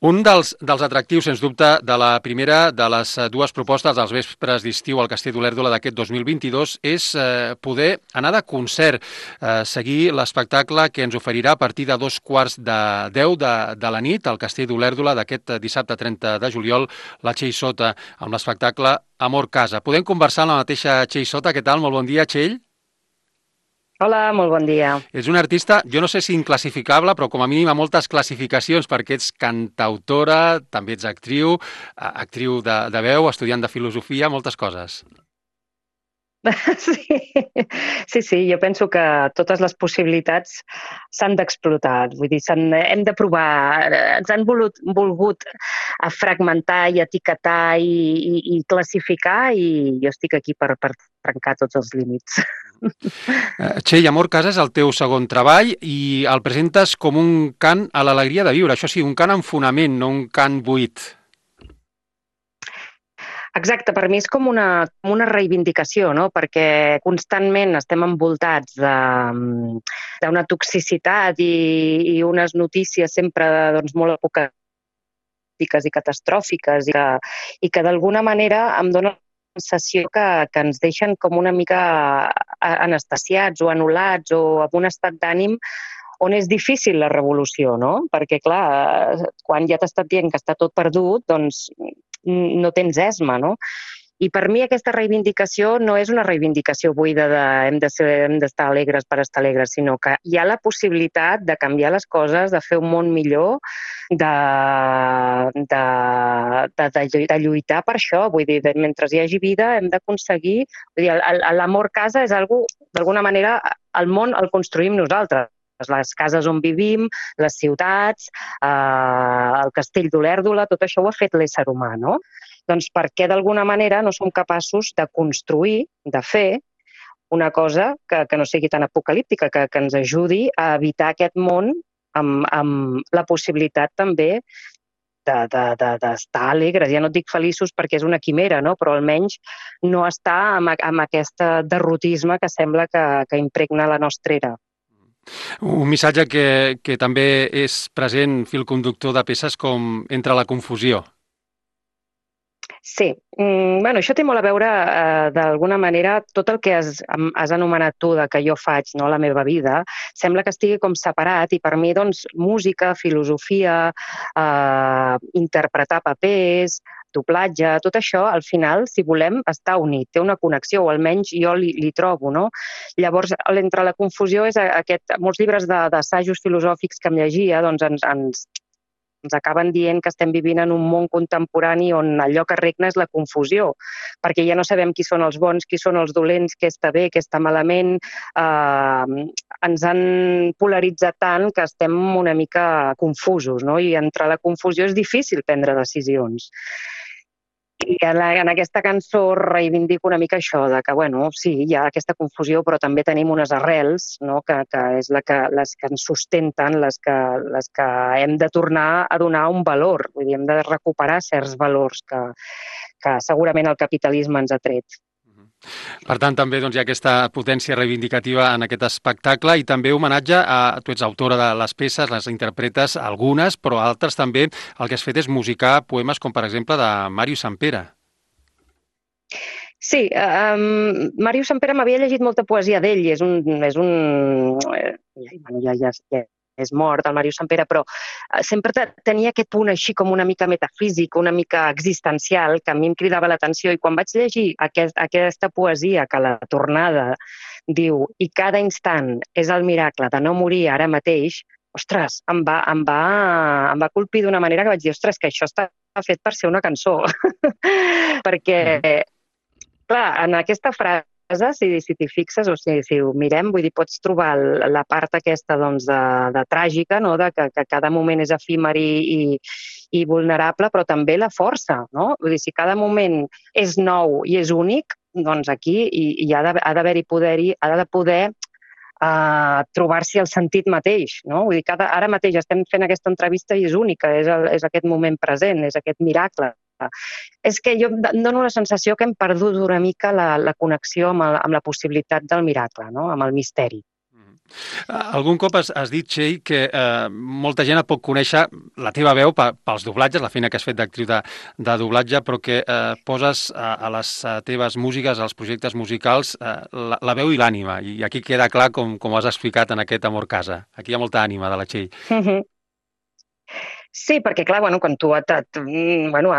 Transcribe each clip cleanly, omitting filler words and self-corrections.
Un dels atractius, sens dubte, de la primera de les dues propostes dels vespres d'estiu al Castell d'Olèrdola d'aquest 2022 és poder anar de concert, seguir l'espectacle que ens oferirà a partir de 2:15 de la nit al Castell d'Olèrdola d'aquest dissabte 30 de juliol, la Txell Sota, amb l'espectacle Amor Casa. Podem conversar amb la mateixa Txell Sota. Què tal? Molt bon dia, Txell. Hola, molt bon dia. És una artista, jo no sé si inclassificable, però com a mínim a moltes classificacions, perquè ets cantautora, també ets actriu, actriu de veu, estudiant de filosofia, moltes coses. Sí, jo penso que totes les possibilitats s'han d'explotar. Vull dir, hem de provar. Ens han volgut fragmentar i etiquetar i classificar i jo estic aquí per trencar tots els límits. Txell, Amor Casa és el teu segon treball i el presentes com un cant a l'alegria de viure. Això sí, un cant amb fonament, no un cant buit. Exacte, per mi és com una reivindicació, no? Perquè constantment estem envoltats d'una toxicitat i unes notícies sempre doncs, molt apocalíptiques i catastròfiques i que d'alguna manera em dóna la sensació que ens deixen com una mica anestesiats o anul·lats o amb un estat d'ànim on és difícil la revolució, no? Perquè, clar, quan ja t'ha estat dient que està tot perdut, doncs no tens esma, no? I per mi aquesta reivindicació no és una reivindicació buida de hem d'estar alegres per estar alegres, sinó que hi ha la possibilitat de canviar les coses, de fer un món millor, de lluitar per això. Vull dir, mentre hi hagi vida hem d'aconseguir... L'amor casa és algo, d'alguna manera, el món el construïm nosaltres. Les cases on vivim, les ciutats, el castell d'Olèrdola, tot això ho ha fet l'ésser humà, no? Doncs per què d'alguna manera no som capaços de construir, de fer una cosa que no sigui tan apocalíptica, que ens ajudi a evitar aquest món amb la possibilitat també d'estar alegres. Ja no et dic feliços perquè és una quimera, no? Però almenys no estar amb aquest derrotisme que sembla que impregna la nostra era. Un missatge que també és present, fil conductor de peces com Entre la confusió. Sí, bueno, això té molt a veure, d'alguna manera, tot el que has anomenat tu de que jo faig, no, la meva vida, sembla que estigui com separat i per mi, doncs, música, filosofia, interpretar papers, doblatge, tot això, al final, si volem, està unit, té una connexió, o almenys jo li trobo, no? Llavors, Entre la confusió és molts llibres d'assajos filosòfics que em llegia, doncs ens acaben dient que estem vivint en un món contemporani on allò que regna és la confusió, perquè ja no sabem qui són els bons, qui són els dolents, què està bé, què està malament. Ens han polaritzat tant que estem una mica confusos, no? I entre la confusió és difícil prendre decisions. I en aquesta cançó reivindico una mica això, de que, bueno, sí, hi ha aquesta confusió, però també tenim unes arrels, no?, que és les que ens sustenten, les que hem de tornar a donar un valor, vull dir, hem de recuperar certs valors que segurament el capitalisme ens ha tret. Per tant, també hi ha aquesta potència reivindicativa en aquest espectacle i també homenatge a... Tu ets autora de les peces, les interpretes algunes, però altres també el que has fet és musicar poemes com, per exemple, de Màrius Sampere. Sí, Màrius Sampere m'havia llegit molta poesia d'ell, ja és mort, el Màrius Sampere, però sempre tenia aquest punt així com una mica metafísic, una mica existencial, que a mi em cridava l'atenció, i quan vaig llegir aquesta poesia que a la tornada diu «I cada instant és el miracle de no morir ara mateix», ostres, em va colpir d'una manera que vaig dir «ostres, que això està fet per ser una cançó». Perquè, clar, en aquesta frase, si t'hi fixes, o sigui, si ho mirem, vull dir, pots trobar la part aquesta de tràgica, no?, de que cada moment és efímer i vulnerable, però també la força, no? Vull dir, si cada moment és nou i és únic, doncs aquí hi ha d'haver-hi poder-hi, ha de poder trobar-s'hi el sentit mateix, no? Vull dir, ara mateix estem fent aquesta entrevista i és única, és aquest moment present, és aquest miracle. És que jo em dono la sensació que hem perdut una mica la connexió amb la possibilitat del miracle, no?, amb el misteri. Algun cop has dit, Txell, que molta gent et pot conèixer la teva veu pels doblatges, la feina que has fet d'actriu de doblatge, però que poses a les teves músiques, als projectes musicals, la veu i l'ànima. I aquí queda clar, com has explicat en aquest Amor Casa. Aquí hi ha molta ànima de la Txell. Sí, perquè clar, quan tu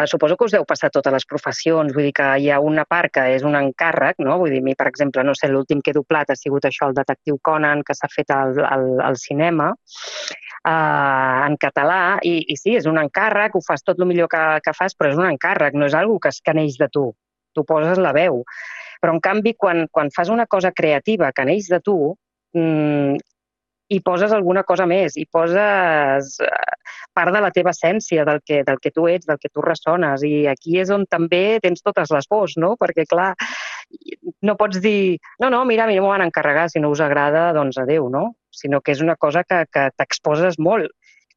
suposo que us deu passar a totes les professions, vull dir que hi ha una part que és un encàrrec, no? Vull dir, a mi, per exemple, no sé, l'últim que he doblat ha sigut això, el detectiu Conan, que s'ha fet al cinema, en català, i sí, és un encàrrec, ho fas tot el millor que fas, però és un encàrrec, no és algo que neix de tu. Tu poses la veu. Però, en canvi, quan fas una cosa creativa que neix de tu, hi poses alguna cosa més, hi poses part de la teva essència, del que tu ets, del que tu ressones, i aquí és on també tens totes les pors, no? Perquè, clar, no pots dir, no, mira, a mi no m'ho van encarregar, si no us agrada, doncs adéu, no? Sinó que és una cosa que t'exposes molt.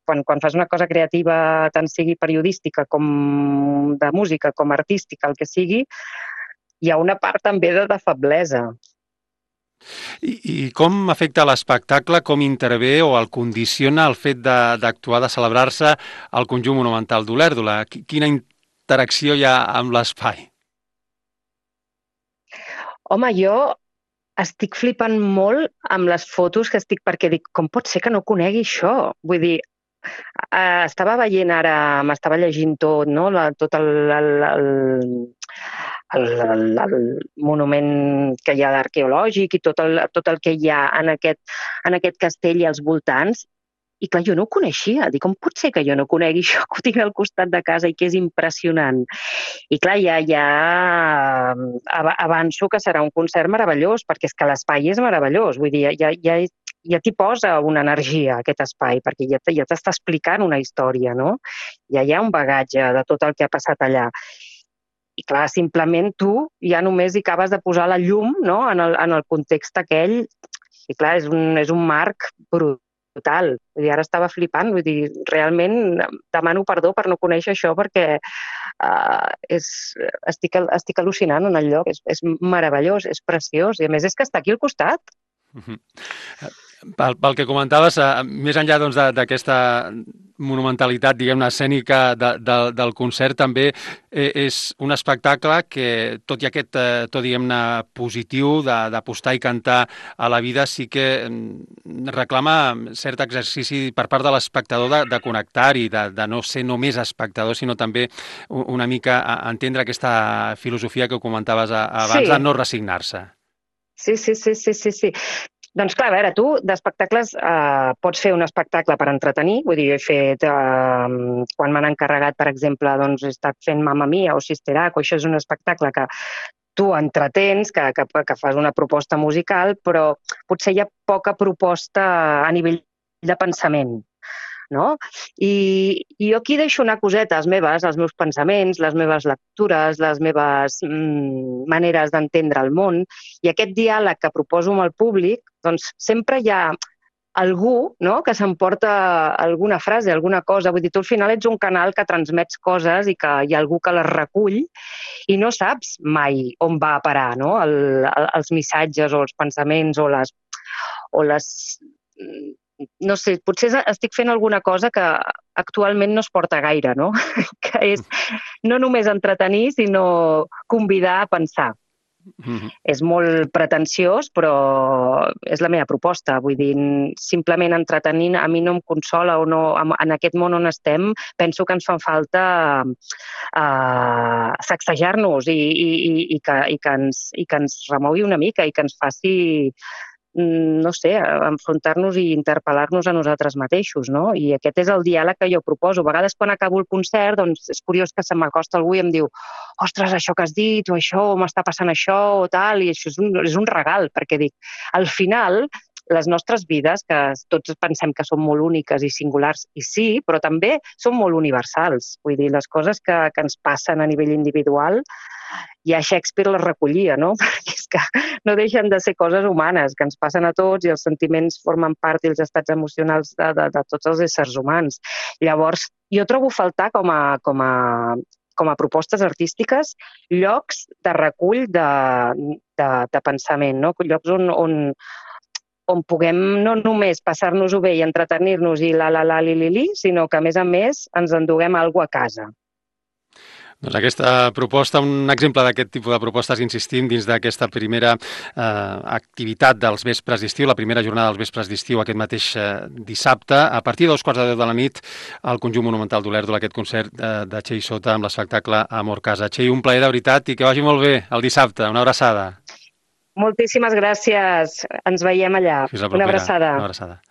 Quan fas una cosa creativa, tant sigui periodística com de música, com artística, el que sigui, hi ha una part també de feblesa. I com afecta l'espectacle, com intervé o el condiciona el fet d'actuar, de celebrar-se al conjunt monumental d'Olèrdola? Quina interacció hi ha amb l'espai? Home, jo estic flipant molt amb les fotos que estic, perquè dic, com pot ser que no conegui això? Vull dir, estava veient ara, m'estava llegint tot, no? Tot el monument que hi ha arqueològic i tot el que hi ha en aquest castell i als voltants. I clar, jo no ho coneixia. Dic, com pot ser que jo no conegui això, que ho tinc al costat de casa i que és impressionant? I clar, ja avanço que serà un concert meravellós, perquè és que l'espai és meravellós. Vull dir, ja t'hi posa una energia, aquest espai, perquè ja t'està explicant una història, no? Ja hi ha un bagatge de tot el que ha passat allà. I clar, simplement tu ja només hi acabes de posar la llum, no?, en el context aquell, i clar, és un marc brutal. Vull dir, ara estava flipant, vull dir, realment demano perdó per no conèixer això, perquè estic al·lucinant en el lloc, és meravellós, és preciós, i a més és que està aquí al costat. Pel que comentaves, més enllà d'aquesta monumentalitat, diguem-ne, escènica del concert, també és un espectacle que, tot i aquest to, diguem-ne, positiu d'apostar i cantar a la vida, sí que reclama cert exercici per part de l'espectador de connectar-hi, de no ser només espectador, sinó també una mica entendre aquesta filosofia que comentaves abans, de no resignar-se. Sí. Doncs clar, a veure, tu d'espectacles pots fer un espectacle per entretenir, vull dir, jo he fet, quan m'han encarregat, per exemple, doncs he estat fent Mamma Mia o Sister Act, o això és un espectacle que tu entretens, que fas una proposta musical, però potser hi ha poca proposta a nivell de pensament, no? I jo aquí deixo anar cosetes meves, els meus pensaments, les meves lectures, les meves maneres d'entendre el món, i aquest diàleg que proposo amb el públic, doncs sempre hi ha algú, no?, que s'emporta alguna frase, alguna cosa. Vull dir, tu al final ets un canal que transmets coses i que hi ha algú que les recull i no saps mai on va a parar, no?, els missatges o els pensaments o les no sé, potser estic fent alguna cosa que actualment no es porta gaire, no? Que és no només entretenir, sinó convidar a pensar. És molt pretensiós, però és la meva proposta. Vull dir, simplement entretenint a mi no em consola, o no, en aquest món on estem, penso que ens fa falta sacsejar-nos i que ens remogui una mica i que ens faci, no sé, enfrontar-nos i interpel·lar-nos a nosaltres mateixos, no? I aquest és el diàleg que jo proposo. A vegades quan acabo el concert, doncs és curiós que se m'acosta algú i em diu ostres, això que has dit, o això, o m'està passant això, o tal, i això és un regal, perquè dic, al final, les nostres vides, que tots pensem que són molt úniques i singulars, i sí, però també són molt universals. Vull dir, les coses que ens passen a nivell individual, ja Shakespeare les recollia, no? Perquè és que no deixen de ser coses humanes, que ens passen a tots i els sentiments formen part i els estats emocionals de tots els éssers humans. Llavors, jo trobo a faltar com a propostes artístiques llocs de recull de pensament, no? Llocs on on puguem no només passar-nos-ho bé i entretenir-nos i la li, sinó que, a més, ens enduguem alguna cosa a casa. Doncs aquesta proposta, un exemple d'aquest tipus de propostes, insistim, dins d'aquesta primera activitat dels vespres d'estiu, la primera jornada dels vespres d'estiu aquest mateix dissabte, a partir de 2:15 de la nit, al Conjunt Monumental d'Olèrdola, aquest concert de Txell Sota amb l'espectacle Amor Casa. Txell, un plaer de veritat i que vagi molt bé el dissabte. Una abraçada. Moltíssimes gràcies. Ens veiem allà. Fins la propera. Una abraçada. Una abraçada.